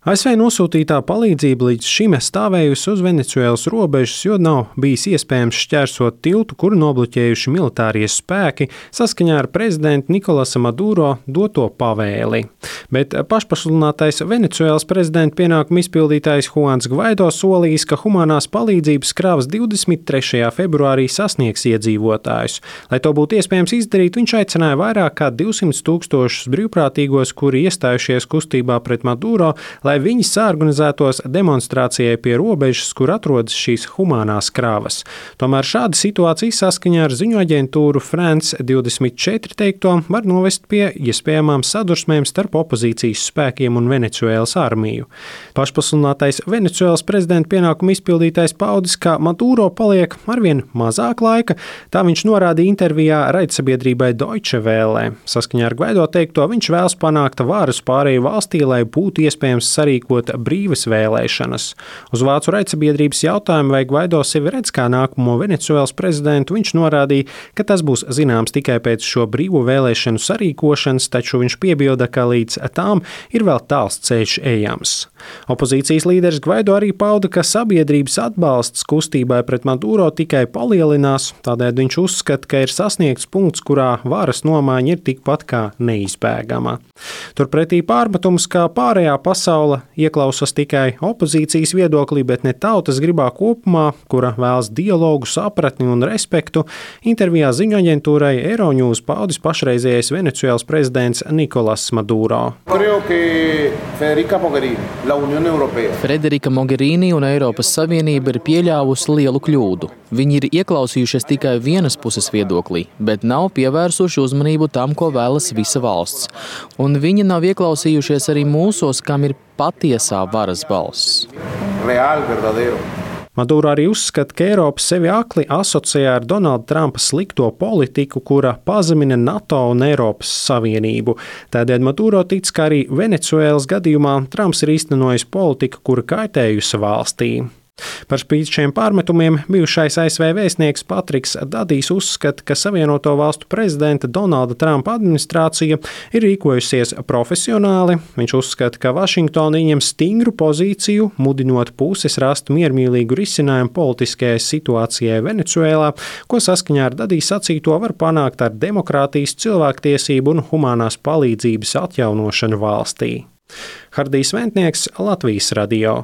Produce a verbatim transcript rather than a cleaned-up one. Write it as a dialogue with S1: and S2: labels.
S1: A S V nosūtītā palīdzība līdz šim stāvējusi uz Venecuēlas robežas, jo nav bijis iespējams šķērsot tiltu, kuru nobloķējuši militārie spēki saskaņā ar prezidenta Nikolasa Maduro doto pavēli. Bet pašpasludinātais Venecuēlas prezidenta pienākumu izpildītājs Juans Gvaido solījis, ka humanās palīdzības kravas divdesmit trešajā februārī sasniegs iedzīvotājus. Lai to būtu iespējams izdarīt, viņš aicināja vairāk kā divsimt tūkstošus brīvprātīgos, kuri iestājušies kustībā pret Maduro, lai viņi saorganizētos demonstrācijai pie robežas, kur atrodas šīs humānās kravas. Tomēr šāda situācija saskaņā ar ziņu aģentūru France divdesmit četri teikto var novest pie iespējamām sadursmēm starp opozīcijas spēkiem un Venecuēlas armiju. Pašpasludinātais Venecuēlas prezidenta pienākumu izpildītājs paudis, ka Maduro paliek arvien mazāk laika, tā viņš norādīja intervijā raidsabiedrībai Deutsche Welle. Saskaņā ar Gvaido teikto, viņš vēlas panākt varas pārēju valstī, lai būtu iespējams sarīkot brīvas vēlēšanas. Uz vācu raidsabiedrības jautājumu, vai Gvaido sevi redz kā nākamo Venecuēlas prezidentu, viņš norādīja, ka tas būs zināms tikai pēc šo brīvo vēlēšanu sarīkošanas, taču viņš piebilda, ka līdz tām ir vēl tāls ceļš ejams. Opozīcijas līderis Gvaido arī pauda, ka sabiedrības atbalsts kustībai pret Maduro tikai palielinās, tādēļ viņš uzskata, ka ir sasniegts punkts, kurā varas nomaiņa ir tikpat kā neizbēgama. Turpretī pārmetums, kā pārējā pasaule ieklausās tikai opozīcijas viedoklī, bet ne tautas gribā kopumā, kura vēlas dialogu, sapratni un respektu, intervijā ziņu aģentūrai Euronews paudis pašreizējais Venecuēlas prezidents Nikolasa Maduro.
S2: Federika Mogherini un Eiropas Savienība ir pieļāvusi lielu kļūdu. Viņi ir ieklausījušies tikai vienas puses viedoklī, bet nav pievērsuši uzmanību tam, ko vēlas visa valsts. Un viņi nav ieklausījušies arī mūsos, kam ir patiesā varas balss.
S3: Real, verdadero.
S1: Maduro arī uzskata, ka Eiropa sevi akli asociē ar Donalda Trumpa slikto politiku, kura pazemina NATO un Eiropas Savienību. Tādēļ Maduro tic, ka arī Venecuēlas gadījumā Trumps ir īstenojis politiku, kura kaitējusi valstī. Par spīti šiem pārmetumiem bijušais A S V vēstnieks Patriks Dadijs uzskata, ka Savienoto valstu prezidenta Donalda Trumpa administrācija ir rīkojusies profesionāli. Viņš uzskata, ka Vašingtona ieņem stingru pozīciju, mudinot puses rast miermīlīgu risinājumu politiskajai situācijai Venecuēlā, ko saskaņā ar Dadiju sacīto var panākt ar demokrātijas, cilvēktiesību un humanās palīdzības atjaunošanu valstī. Hardijs Ventnieks, Latvijas radio.